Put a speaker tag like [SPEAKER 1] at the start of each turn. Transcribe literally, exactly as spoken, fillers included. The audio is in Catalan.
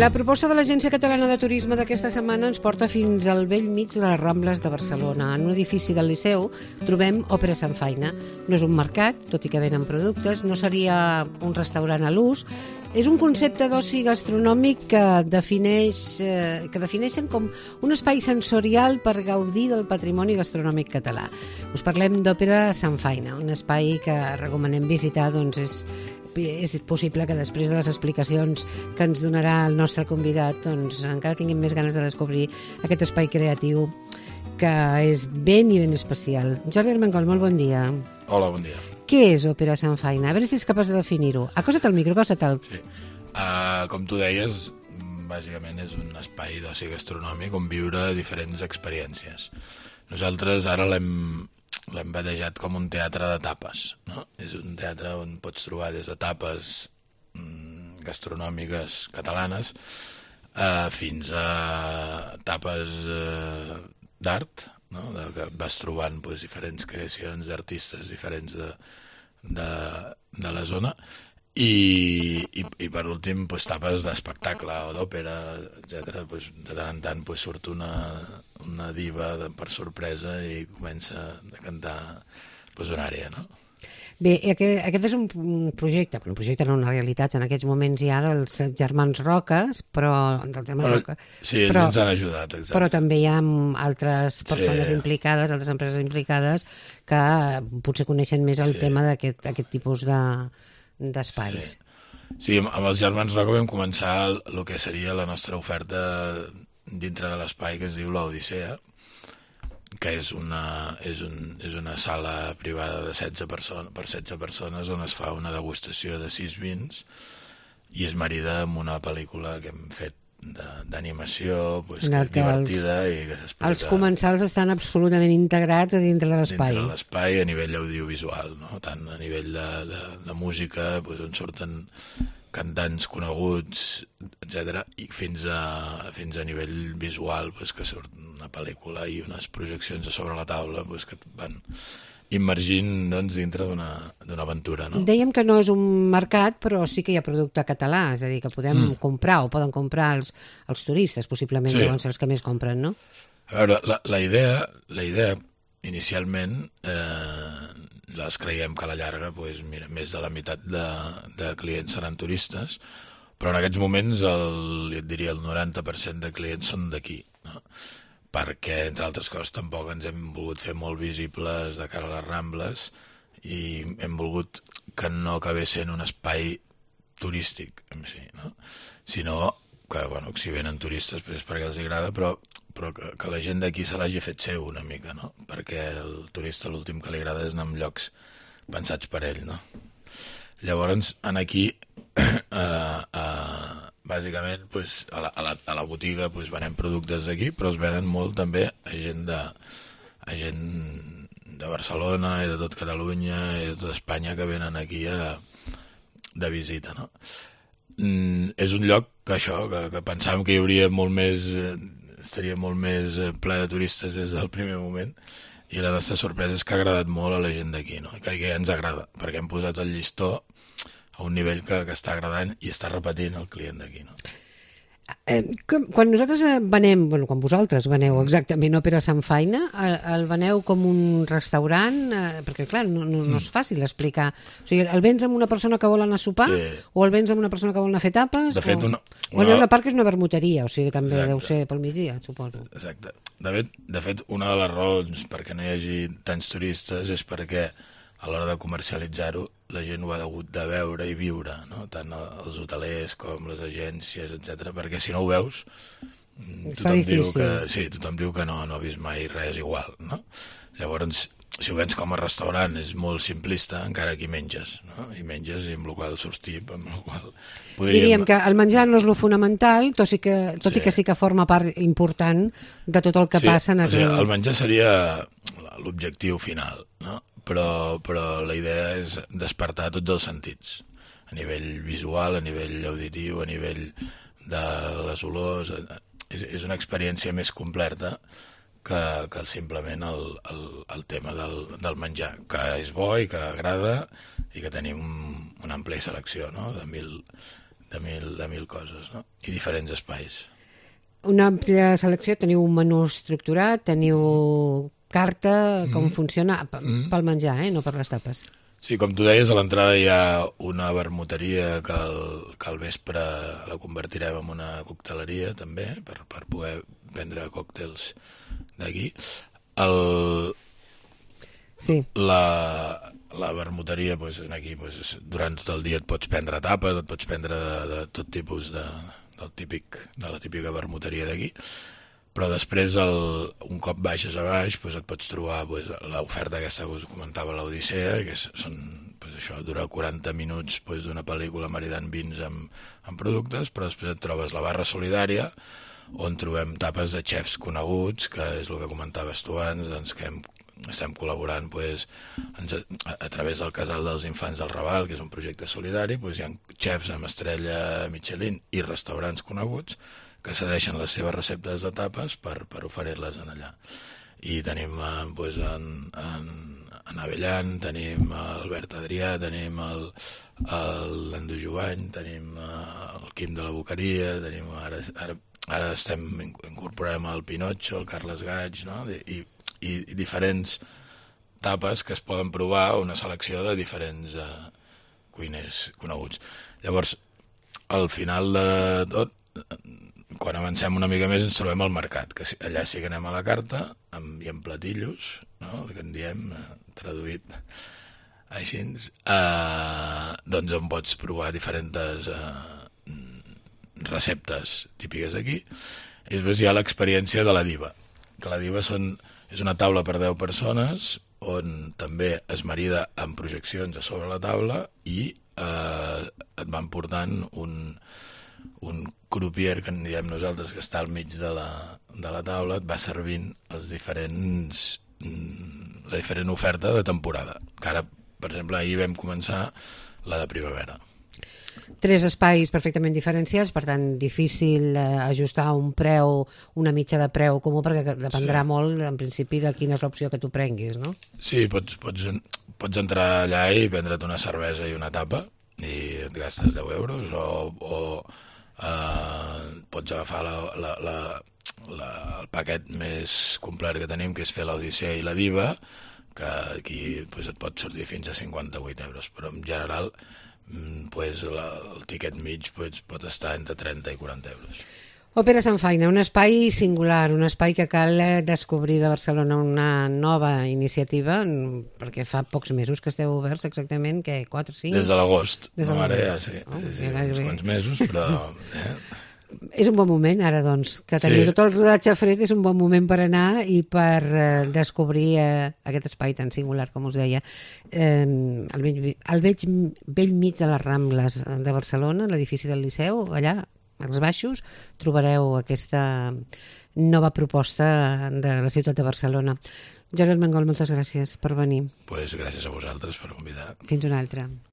[SPEAKER 1] La proposta de l'Agència Catalana de Turisme d'aquesta setmana ens porta fins al bell mig de les Rambles de Barcelona. En un edifici del Liceu trobem Òpera Samfaina. No és un mercat, tot i que venen productes, no seria un restaurant a l'ús. És un concepte d'oci gastronòmic que defineix, eh, que defineixen com un espai sensorial per gaudir del patrimoni gastronòmic català. Us parlem d'Òpera Samfaina, un espai que recomanem visitar, doncs és és possible que després de les explicacions que ens donarà el nostre convidat doncs encara tinguem més ganes de descobrir aquest espai creatiu que és ben i ben especial. Jordi Armengol, molt bon dia.
[SPEAKER 2] Hola, bon dia.
[SPEAKER 1] Què és Òpera Samfaina? A veure si és capaç de definir-ho. Acosta't al micro, acosta't-el.
[SPEAKER 2] Sí. Uh, com tu deies, bàsicament és un espai d'oci gastronòmic on viure diferents experiències. Nosaltres ara l'hem l'hem batejat com un teatre de tapes, no? És un teatre on pots trobar des de tapes mm, gastronòmiques catalanes eh, fins a tapes eh, d'art, no? De, que vas trobant pues, diferents creacions d'artistes diferents de, de, de la zona i, i, i per últim pues, tapes d'espectacle o d'òpera, etcètera. Pues, de tant en tant pues, surt una, una diva de, per sorpresa i comença a cantar pues, una àrea, no?
[SPEAKER 1] Bé, aquest, aquest és un projecte, un projecte no una realitat, en aquests moments hi ha dels germans Roques, però dels germans
[SPEAKER 2] bueno,
[SPEAKER 1] Roca,
[SPEAKER 2] sí, ells
[SPEAKER 1] però,
[SPEAKER 2] ens han ajudat, exacte.
[SPEAKER 1] Però també hi ha altres persones
[SPEAKER 2] sí.
[SPEAKER 1] implicades, altres empreses implicades, que potser coneixen més el sí. tema d'aquest aquest tipus de d'espais.
[SPEAKER 2] Sí. sí, amb els germans Roca vam començar el, el que seria la nostra oferta dintre de l'espai que es diu l'Odissea, que és una, és, un, és una sala privada de setze persones, per setze persones on es fa una degustació de sis vins i es marida amb una pel·lícula que hem fet d'animació, pues, que és divertida els, i que s'explica...
[SPEAKER 1] Els comensals estan absolutament integrats a dintre de l'espai.
[SPEAKER 2] Dintre de l'espai a nivell audiovisual, no? Tant a nivell de, de, de música, pues, on surten cantants coneguts, etcètera, i fins a, fins a nivell visual, pues, que surt una pel·lícula i unes projeccions a sobre la taula pues, que et van immergint doncs, dintre d'una aventura. No?
[SPEAKER 1] Dèiem que no és un mercat, però sí que hi ha producte català, és a dir, que podem mm. comprar o poden comprar els, els turistes, possiblement sí. deuen ser els que més compren, no?
[SPEAKER 2] A veure, la, la, idea, la idea inicialment eh, les creiem que a la llarga pues, mira, més de la meitat de, de clients seran turistes, però en aquests moments el, et diria el noranta per cent de clients són d'aquí, no? Perquè, entre altres coses, tampoc ens hem volgut fer molt visibles de cara a les Rambles i hem volgut que no acabés sent un espai turístic, en si, no? Sinó que, bueno, que si venen turistes pues és perquè els agrada, però, però que, que la gent d'aquí se l'hagi fet seu una mica, no? Perquè el turista l'últim que li agrada és anar en llocs pensats per ell, no? Llavors, en aquí, eh, eh, bàsicament, pues, a, la, a, la, a la botiga pues, venem productes d'aquí, però es venen molt també a gent de, a gent de Barcelona i de tot Catalunya i de tot Espanya que venen aquí a, de visita, no? Mm, és un lloc que això, que, que pensàvem que hi hauria molt més, eh, estaria molt més eh, ple de turistes des del primer moment, i la nostra sorpresa és que ha agradat molt a la gent d'aquí, no? I que, que ens agrada, perquè hem posat el llistó a un nivell que, que està agradant i està repetint el client d'aquí, no?
[SPEAKER 1] Eh, quan nosaltres venem, bueno, quan vosaltres veneu exactament Òpera Samfaina, el, el veneu com un restaurant, eh, perquè clar, no, no, no és fàcil explicar. O sigui, el vens amb una persona que vol anar a sopar, sí. o el vens amb una persona que vol anar a fer tapes,
[SPEAKER 2] de fet,
[SPEAKER 1] o...
[SPEAKER 2] una, una...
[SPEAKER 1] Bueno, una part que és una vermuteria, o sigui, també Exacte. Deu ser pel migdia, suposo.
[SPEAKER 2] Exacte. De fet, de fet, una de les raons perquè no hi hagi tants turistes és perquè a l'hora de comercialitzar-ho la gent ho ha hagut de veure i viure, no? Tant els hotelers com les agències, etcètera, perquè si no ho veus tothom diu que, sí, tothom diu que no, no ha vist mai res igual, no? Llavors, si ho vens com a restaurant és molt simplista, encara que hi menges, no? I menges i amb el qual surts tip, amb el qual podríem...
[SPEAKER 1] Diríem que el menjar no és lo fonamental, tot, i que, tot sí. i que sí que forma part important de tot el que
[SPEAKER 2] sí,
[SPEAKER 1] passa en
[SPEAKER 2] el... O sigui,
[SPEAKER 1] el...
[SPEAKER 2] el menjar seria l'objectiu final, no? Però, però la idea és despertar tots els sentits, a nivell visual, a nivell auditiu, a nivell de les olors. És, és una experiència més completa que, que simplement el, el, el tema del, del menjar, que és bo i que agrada i que tenim una àmplia selecció, no? de, mil, de mil, de mil coses, no? I diferents espais.
[SPEAKER 1] Una àmplia selecció, teniu un menú estructurat, teniu carta, com mm. funciona, mm. pel menjar, eh? No per les tapes.
[SPEAKER 2] Sí, com tu deies, a l'entrada hi ha una vermuteria que al, que al vespre la convertirem en una cocteleria, també, per, per poder vendre còctels d'aquí. El... Sí. La, la vermuteria, doncs, aquí, doncs, durant tot el dia et pots prendre tapes, et pots prendre de, de tot tipus de, del típic, de la típica vermuteria d'aquí, però després, el, un cop baixes a baix, doncs, et pots trobar doncs, l'oferta aquesta que us comentava, l'Odissea, que és, són, doncs, això, dura quaranta minuts doncs, d'una pel·lícula maridant vins amb, amb productes, però després et trobes la barra solidària, on trobem tapes de xefs coneguts, que és el que comentaves tu abans, doncs, que hem estem col·laborant pues, a, a través del Casal dels Infants del Raval, que és un projecte solidari, pues, hi ha xefs amb estrella Michelin i restaurants coneguts que cedeixen les seves receptes de tapes per, per oferir-les en allà. I tenim eh, pues, en, en, en Avellan, tenim Albert Adrià, tenim el, el Nando Jovany, tenim eh, el Quim de la Boqueria, tenim ara, ara, ara estem incorporem el Pinotxo, el Carles Gaig, no? I, i, i diferents tapes que es poden provar, una selecció de diferents eh, cuiners coneguts. Llavors, al final de tot, quan avancem una mica més ens trobem al mercat, que allà sí que anem a la carta amb, i amb platillos, no? El que en diem, eh, traduït així, eh, doncs on pots provar diferents eh, receptes típiques d'aquí. I després hi ha l'experiència de la diva, que la diva són, és una taula per deu persones on també es marida amb projeccions a sobre la taula i eh, et van portant un, un croupier, que en diem nosaltres, que està al mig de la, de la taula, et va servint els diferents, la diferent oferta de temporada. Que ara, per exemple, ahir vam començar la de primavera.
[SPEAKER 1] Tres espais perfectament diferenciats, per tant, difícil eh, ajustar un preu, una mitja de preu comú, perquè dependrà sí. molt, en principi, de quina és l'opció que tu prenguis, no?
[SPEAKER 2] Sí, pots, pots, pots entrar allà i prendre't una cervesa i una tapa i et gastes deu euros, o, o eh, pots agafar la, la, la, la, el paquet més complet que tenim, que és fer l'Odissea i la Diva, que aquí pues, et pot sortir fins a cinquanta-vuit euros, però en general pues, la, el tiquet mig pues, pot estar entre trenta i quaranta euros.
[SPEAKER 1] Òpera Samfaina, un espai singular, un espai que cal descobrir de Barcelona, una nova iniciativa, perquè fa pocs mesos que esteu oberts, exactament, que quatre, cinc...
[SPEAKER 2] Des de l'agost.
[SPEAKER 1] Des de
[SPEAKER 2] no,
[SPEAKER 1] l'agost.
[SPEAKER 2] Ara ja sí, oh, sí, sí uns quants mesos, però... Eh?
[SPEAKER 1] És un bon moment, ara, doncs, que teniu sí. tot el rodatge fred, és un bon moment per anar i per eh, descobrir eh, aquest espai tan singular, com us deia. Eh, al vell, al vell, vell mig de les Rambles de Barcelona, l'edifici del Liceu, allà, als baixos, trobareu aquesta nova proposta de la ciutat de Barcelona. Jordi Armengol, moltes gràcies per venir.
[SPEAKER 2] Pues gràcies a vosaltres per convidar.
[SPEAKER 1] Fins una altra.